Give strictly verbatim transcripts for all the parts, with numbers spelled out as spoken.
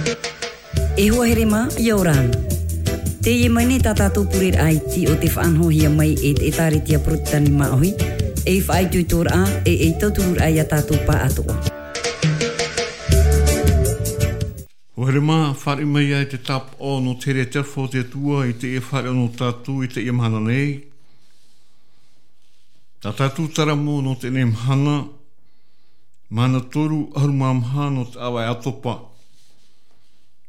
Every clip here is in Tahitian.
E hoa here mā, ʻia ora na. Teie mai nei tā tātou pureraʻa iti o te faʻanahohia mai e te ʻētāretia Porotetani Māʻohi, ei faʻaitoitoraʻa, e ei tautururaʻa ia tātou pāʻatoʻa. Hoa here mā, fāriʻi mai ia e te tāpaʻo nō te here e te aroha o te Atua i teie fāriʻi nō tātou i teie mahana nei. Tā tātou taramo nō teie mahana, mahana toru ʻahuru mā maha nō te ʻāvaʻe ʻātopa.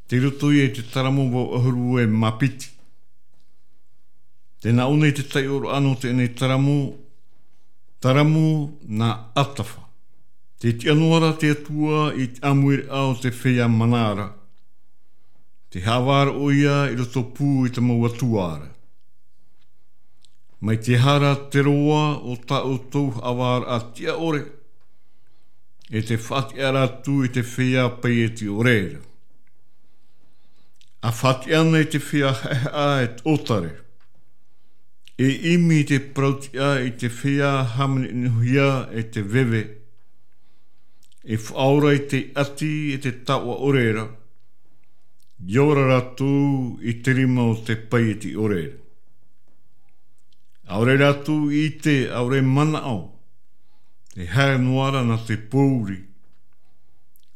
Tei roto ia i te taramo vau ʻahuru e mā piti. Tē nā ʻō nei te taiʻoraʻa nō teie taramo, taramo nā Atafa. Tē tiʻa noa ra te Atua i te ʻāmuiraʻa o te feiā mana ra. Tē haʻavā ra ʻoia i roto pū i te mau atua ra. Mai te aha ra te roa o tā ʻoutou haʻavāraʻa tiʻa ʻore, e tē faʻatiʻa ra atu i te feiā paieti ʻore ra. ʻA faʻatiʻa na i te feiā haʻehaʻa e te ʻōtare. E ʻimi i te parautiʻa i te feiā hāmanihia e te veve. E faʻaora i te ʻati e te taoʻa ʻore ra. ʻIa ora rātou i te rima o te paieti ʻore ra. ʻAore rātou i ʻite, ʻaore manaʻo, e haere noa ra nā te pōuri.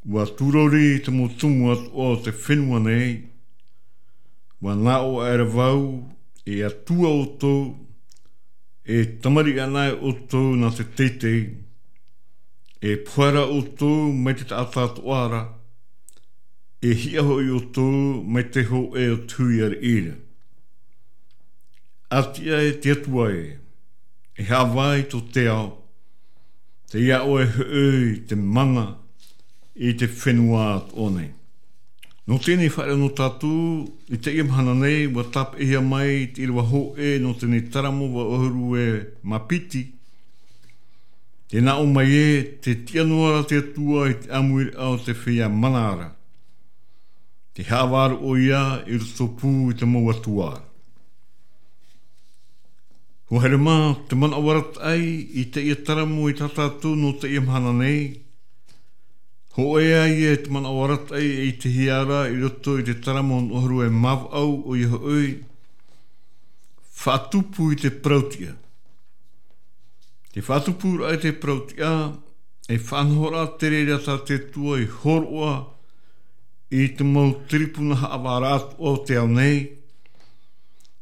ʻUa tūrori te mau tumu atoʻa o te fenua nei. ʻUa nā ʻō aʻera vau, e Atua ʻoutou, e tamariʻi anaʻe ʻoutou nā te teitei. E pohe ra ʻoutou mai te taʻata atoʻa ra, e hiʻa hoʻi ʻoutou mai te hōʻē o te hui ariʻi ra. ʻA tiʻa e te Atua ē, e haʻavā i tō te ao, tei iā ʻoe hoʻi te mana i te fenua atoʻa nei. Nō teie fāriʻi nō tātou, i teie mahana nei, ʻua tāpeʻahia mai te ʻīrava hōʻē nō teie taramo vau ʻahuru e mā piti. Tē nā ʻō mai ē, tē tiʻa noa ra te Atua i te ʻāmuiraʻa o te feiā mana ra. Tē haʻavā ra ʻoia i roto pū i te mau atua ra. Hoa here mā, te manaʻo arataʻi i teie taramo i tā tātou nō teie mahana nei. Hōʻē ā ia te manaʻo arataʻi e ʻitehia ra i roto i te taramo ʻahuru e mā vaʻu, ʻoia hoʻi, faʻatupu i te parautiʻa. Te faʻatupuraʻa i te parautiʻa, e faʻanahoraʻa te reira tā te Atua i hōroʻa i te mau tiripuna haʻavāraʻa atoʻa o te ao nei,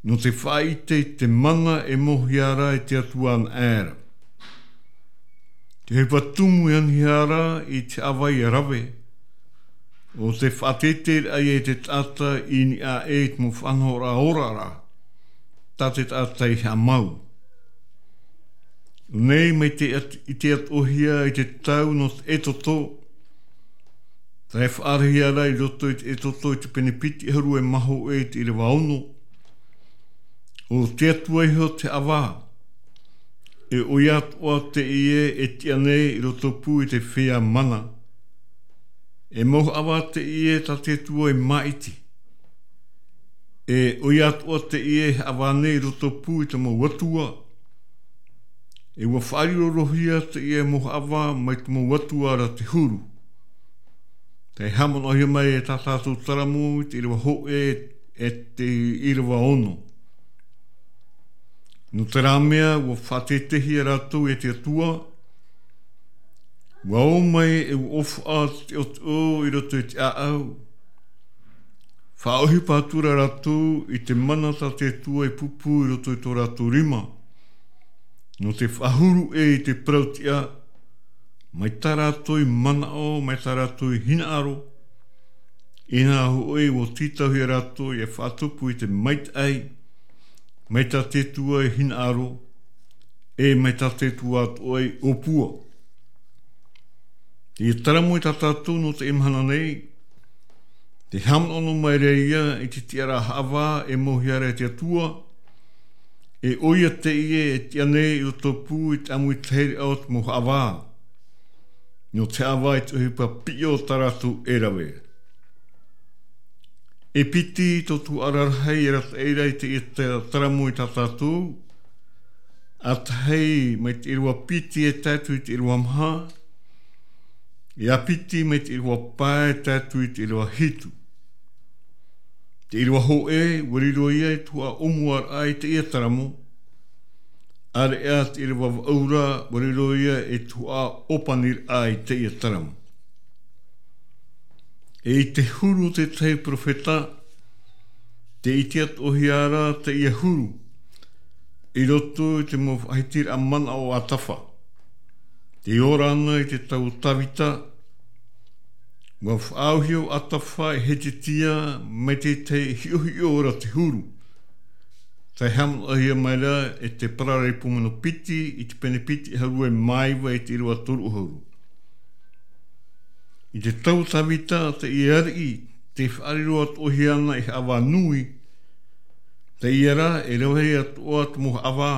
nō te faʻaʻite i te mana e mōhia ra e te Atua anaʻe ra. Te ʻohipa tumu e anihia ra i te haʻavā ʻia rave, ʻo te faʻateiteiraʻa ia i te taʻata i niʻa aʻe i te mau faʻanahoraʻa ora ra, tā te taʻata i haʻamau. ʻUa nei mai te at-, i te atoʻahia i te tau nō te Exodo, tā e faʻaarahia ra i roto i te Exodo i te pene piti ʻahuru e mā hōʻē i te ʻīrava ono. ʻO te Atua iho te haʻavā, e ʻoia atoʻa teie e tiʻa nei i roto pū i te feiā mana. E mau haʻavā teie tā te Atua i māʻiti. E ʻoia atoʻa teie e haʻavā nei i roto pū i te mau atua. E ʻua faʻarirohia teie mau haʻavā mai te mau atua ra te huru. Tē haʻamanaʻohia mai e tā tātou taramo i te ʻīrava hōʻē e te ʻīrava ono. Nō terā mea, ʻua faʻateiteihia rātou e te Atua, ʻua ō mai e ʻua ʻōfaʻa te ʻoteʻo i roto i te ʻāʻau. Faʻaʻohipa atu ra rātou i te mana tā te Atua i pūpū i roto i tō rātou rima. Nō te faʻahuru ʻē i te parautiʻa, mai tā rātou i manaʻo, mai tā rātou i hinaʻaro, ʻinaha hoʻi ʻua tītauhia rātou ʻia faʻatupu i te maitaʻi, mai tā te Atua i hinaʻaro, e mai tā te Atua atoʻa i ʻōpua. Teie taramo i tā tātou nō teie mahana nei, tē haʻamanaʻo noa mai ra ïa i te tiʻaraʻa haʻavā e mōhia ra e te Atua, e ʻoia teie e tiʻa nei i roto pū i te ʻāmuitahiraʻa o te mau haʻavā. Nō te haʻavā i te ʻohipa piʻi o tā rātou e rave. E piti tō tuhaʻa rarahi e arataʻi ra i teie ta-, taramo i tā tātou, ʻa tahi mai te ʻīrava piti e tae atu i te ʻīrava maha, e ʻa piti mai te ʻīrava pae e tae atu i te ʻīrava hitu. Te ʻīrava hōʻē, ʻua riro ia i te tuhaʻa ʻōmuaraʻa i teie taramo. ʻĀreʻa te ʻīrava vaʻu ra, ʻua riro ia i te tuhaʻa ʻōpaniraʻa i teie taramo. E i te huru o te tahi perofeta, tē ʻite atoʻahia ra teie huru, i roto i te mau faʻahitiraʻa manaʻo a Atafa. Tē ora ana i te tau o Tavita, ʻua faʻaauhia ʻo Atafa e Hezekia mai te tahi hiʻohiʻo ra te huru. Tē haʻamanaʻohia mai ra e te pararaipo mano piti i te pene piti ʻahuru e mā iva i te ʻīrava toru ʻahuru. I te tau o Tavita, teie ariʻi, tē faʻariro atoʻahia ana ei haʻavā nui. Teie ra, e rave atoʻa te mau haʻavā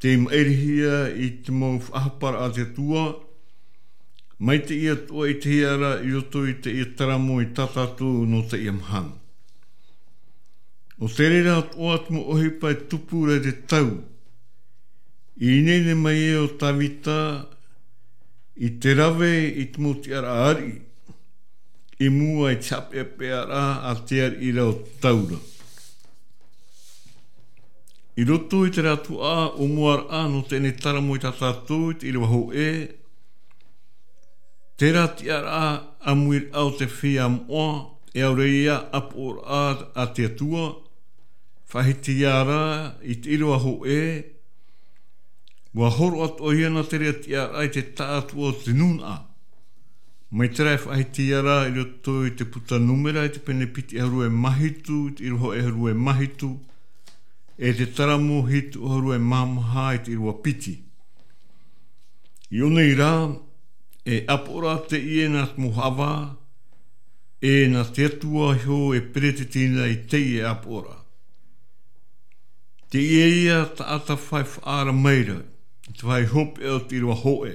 tei maʻirihia i te mau faʻahaparaʻa a te Atua, mai teie atoʻa i te hia ra i roto i teie taramo i tā tātou nō teie mahana. ʻO te reira atoʻa te mau ʻohipa e tupu ra i te tau, i ineine mai ai ʻo Tavita i te rave i te mau tiʻaraʻa ariʻi, i mua i te haʻapeʻapeʻaraʻa a te ariʻi ra ʻo te tau ra. I roto i te tuhaʻa ʻōmuaraʻa nō teie taramo i tā tātou i te ʻīrava hōʻē, terā tiʻaraʻa ʻāmuiraʻa o te feiā moʻa, e ʻaore ia ʻāpoʻoraʻa a te Atua, faʻahiti ia ra i te ʻīrava hōʻē, ʻua horo atoʻahia na terā tiʻaraʻa i te taʻatoʻa o te nūnaʻa. Mai terā e faʻahiti ia ra i roto i te puta Nūmera i te pene piti ʻahuru e mā hitu, i te ʻīrava hōʻē ʻahuru e mā hitu, e te taramo hitu ʻahuru e mā maha i te ʻīrava piti. I ʻō nei rā, e ʻāpoʻoraʻa teie nā te mau haʻavā, e nā te Atua iho e peretitiraʻa i teie ʻāpoʻoraʻa. Teie ia tā Atafa e faʻaara mai ra, i te vāhi hopeʻa o te ʻīrava hōʻē.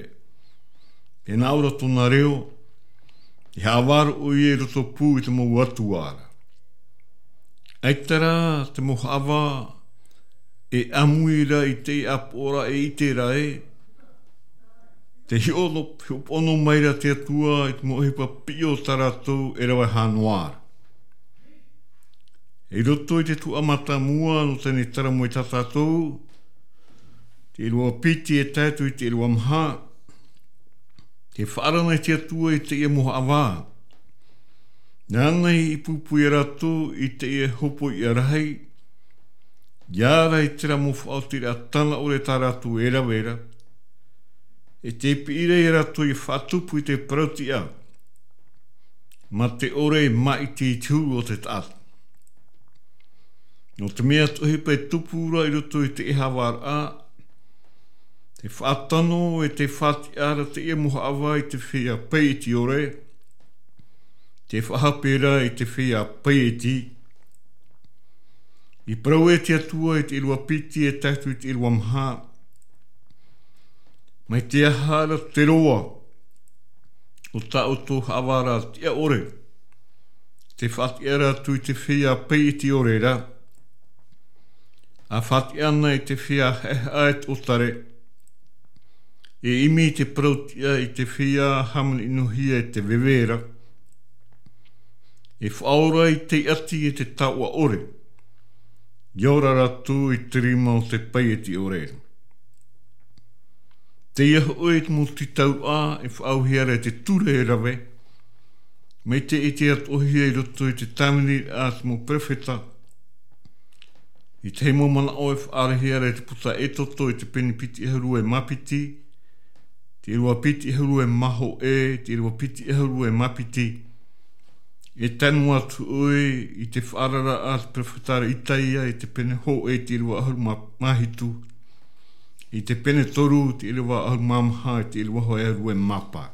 E nā ʻō ra tōna reo, e haʻavā roa ʻoia i roto pū i te mau atua ra. ʻAita rā te mau haʻavā e ʻāmui ra i te ʻāpoʻoraʻa e ʻite ra ē, tē hiʻo-, hiʻopoʻa noa mai ra te Atua i te mau ʻohipa piʻi o tā rātou e rave hā noa ra. I roto i te tuhaʻa mātāmua nō teie taramo i tā tātou, te ʻīrava piti e tae atu i te ʻīrava maha, tē faʻaara na te Atua i teie mau haʻavā. Nāna i pūpū ia rātou i teie hōpoiʻa rahi, ʻia ara i terā mau faʻaotiraʻa tāna ʻore tā rātou e rave ra, e tē piʻi ra ia rātou ʻia faʻatupu i te parau-tiʻa, mā te ʻore maʻiti i te huru o te taʻata. Nō te mea te ʻohipa e tupu ra i roto i te ʻēhavaraʻa, tē faʻatano e tē faʻatiʻa ra teie mau haʻavā i te feiā paieti ʻore, tē faʻahape ra i te feiā paieti. I parau e te Atua i te ʻīrava piti e tae atu i te ʻīrava maha, mai te aha ra te roa o tā ʻoutou haʻavā ra tiʻa ʻore, tē faʻatiʻa ra atu i te feiā paieti ʻore ra, ʻa faʻatiʻa na i te feiā haʻehaʻa e te ʻōtare, e ʻimi i te parau-tiʻa i te feiā hāmani-ʻino-hia e te veve ra, e faʻaora i te ʻati e te taoʻa ʻore, ʻia ora rātou i te rima o te paieti ʻore ra. Teie hoʻi te mau tītauraʻa e faʻaauhia ra e te ture e rave, mai te ʻite atoʻahia i roto i te tāvini a te mau perofeta. I te mau manaʻo e faʻaarahia ra e te puta Exodo i te pene piti ʻahuru e mā piti, te ʻīrava piti ʻahuru e mā hōʻē, te ʻīrava piti ʻahuru e mā piti. E tae noa atu ʻoe i te faʻaararaʻa a te perofeta ra Isaia i te pene hōʻē i te ʻīrava ʻahuru mā, mā hitu, i te pene toru, te ʻīrava ʻahuru mā maha, i te ʻīrava hōʻē ʻahuru e mā pae.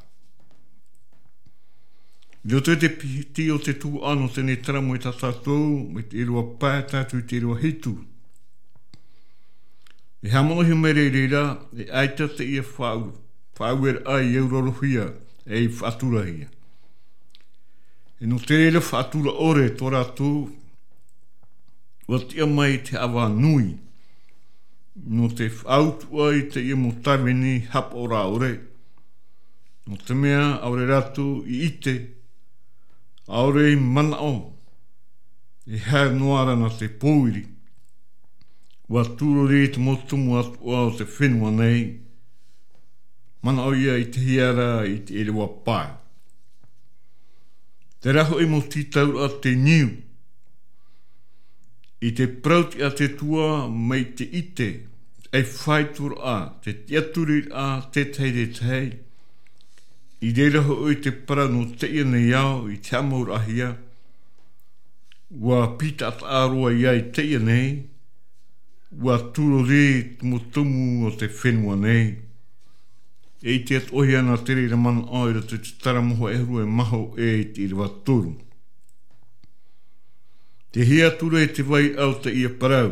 I roto i te piti o te tuhaʻa nō teie taramo i tā tātou, mai te ʻīrava pae tae atu i te ʻīrava hitu. E haʻamanaʻohia mai ra i reira, e ʻaita teie faʻau-, faʻaueraʻa i aurarohia, e i faʻaturahia. E nō te reira faʻatura ʻore tō rātou, ʻua tiʻa mai te haʻavā nui, nō te faʻautuʻa i teie mau tāvini haʻapaʻoraʻa ʻore, nō te mea ʻaore rātou i ʻite, ʻaore i manaʻo, E haere noa ra nā te pōiri. ʻUa tūrori te mau tumu atoʻa o te fenua nei. Manaʻo ia i te hiʻo ra i te ʻīrava pae. Terā hoʻi mau tītauraʻa te niu. I te parau a te Atua mai te ʻite, e faito ra, te tiʻaturiraʻa, tētahi, tētahi. I reira hoʻi te parau nō teie nei ao, i te haʻamauraʻahia. ʻUa pītaʻataʻa roa ia i teie nei, ʻua tūrori te mau tumu o te fenua nei. E ʻite atoʻa hia nā te reira manaʻo i roto i te Taramo hōʻē ʻahuru e maha e i te ʻīrava toru. Tē hiʻo atu ra i te vairaʻa o teie parau.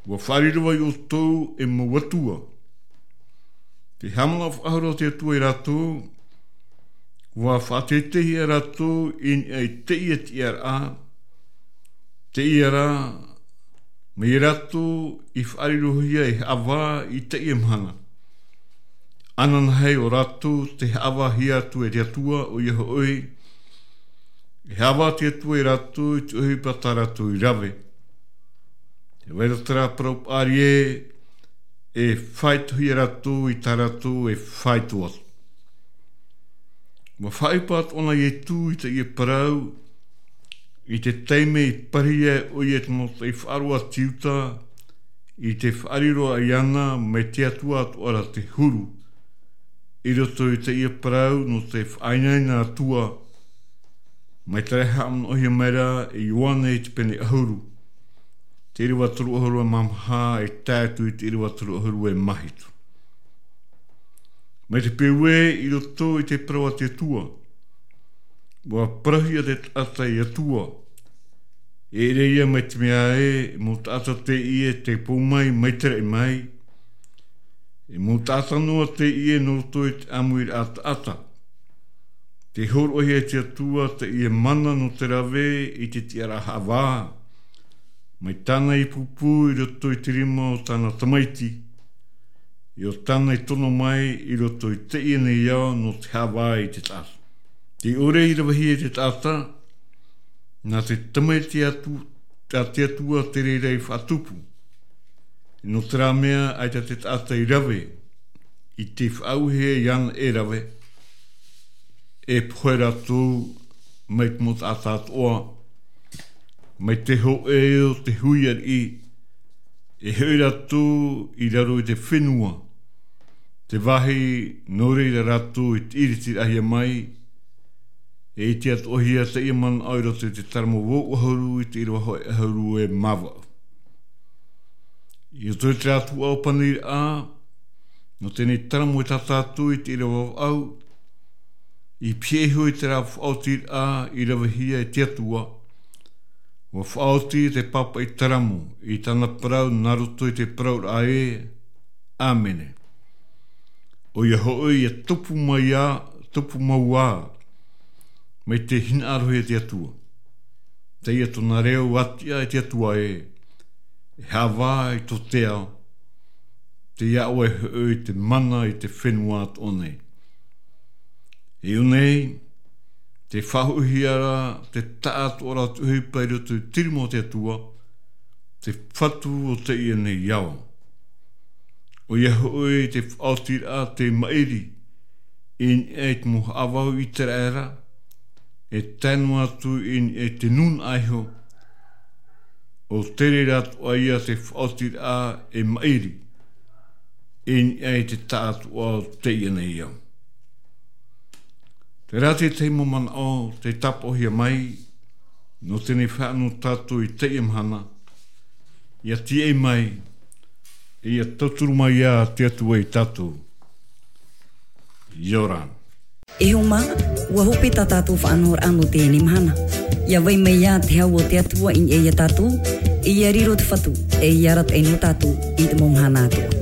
ʻUa faʻariro vau iā ʻoutou e mau atua. Tē haʻamanaʻo faʻahou ra te Atua iā rātou, ʻua faʻateiteihia rātou i niʻa i teie tiʻaraʻa, teie ra, mai iā rātou i faʻarirohia e haʻavā i teie mahana. Ananahi ʻo rātou tē haʻavāhia atu e te Atua, ʻoia hoʻi, e haʻavā te Atua iā rātou i te ʻohipa tā rātou i rave. Tē vai ra terā parau paʻari, e faitohia rātou i tā rātou e faito atu. ʻUa faʻaʻohipa atoʻa na Ietu i teie parau, i te taime i parahia ai ʻoia e te mau faʻaroʻo a te Iuta, i te faʻariro iāna mai te Atua atoʻa ra te huru. I roto i teie parau nō te faʻainaina Atua, mai te haʻamanaʻohia mai ra e Ioane i te pene ʻahuru. Te ʻīrava toru ʻahuru e maha e tae atu i te ʻīrava toru ʻahuru e maha hitu. Mai te peu ē i roto i te parau a te Atua. ʻUa parauhia te taʻata e Atua. E ʻere ia mai te mea ē, e mau taʻata teie tei pou mai, mai te raʻi mai. E mau taʻata noa teie nō roto i te ʻāmuiraʻa taʻata. Tē hōroʻahia e te Atua teie mana nō te rave i te tiʻaraʻa haʻavā. Mai tāna ipu pū i roto i te rima o tāna tamaiti. ʻE ʻo tāna i tono mai i roto i teie nei ao nō te haʻavā i te taʻata. Tē ʻore i ravehia e te taʻata, nā te tamaiti atu, a te Atua te reira i faʻatupu. Nō terā mea ʻaita te taʻata i rave, i te faʻauehia iāna e rave, e pohe rātou mai te mau taʻata atoʻa, mai te hōʻē o te hui ariʻi, e hoʻi rātou i raro i te fenua, te vāhi nō reira rātou i te ʻiritiraʻahia mai, e ʻite atoʻahia teie manaʻo i roto i te Taramo vaʻu ʻahuru i te ʻīrava hōʻē ʻahuru e mā vaʻu. I roto i terā tuhaʻa o Paniraʻa, nō teie nei Taramo e tae atu i te ʻīrava vaʻu, i pihaʻi iho i terā faʻaotiraʻa i ravehia e te Atua. ʻUa faʻaoti te pāpaʻi Taramo i tāna parau nā roto i te parauraʻa ē, ʻĀmene. ʻOia hoʻi, ʻia tupu mai ā, tupu mau ā, mai te hinaʻarohia e te Atua. Teie tōna reo, ʻAtiʻa e te Atua ē, e haʻavā i tō te ao, tei iā ʻoe hoʻi te mana i te fenua atoʻa nei. I ʻō nei, tē faʻahoʻihia ra te taʻatoʻaraʻa o te ʻohipa i roto i te rima o te Atua, te fatu o teie nei ao. ʻOia hoʻi te faʻaotiraʻa tei maʻiri i niʻa i te mau haʻavā o Iteraera, e tae noa atu i niʻa i te nūnaʻa iho, ʻo te reira atoʻa ia te faʻaotiraʻa e maʻiri i niʻa i te taʻatoʻa o teie nei ao. Terā te tahi mau manaʻo tei tāpaʻohia mai, nō teie nei faʻanaho tātou i teie mahana, ʻia tīaʻi mai, ʻia tauturu mai ā te Atua iā tātou. ʻIa ora na. E hoa mā, ʻua hope tā tātou faʻanahoraʻa nō teie nei mahana. ʻIa vai mai ā te hau o te Atua i niʻa iā tātou, ʻe ʻia riro te Fatu, ʻe ʻia arataʻi nō tātou i te mau mahana atoʻa.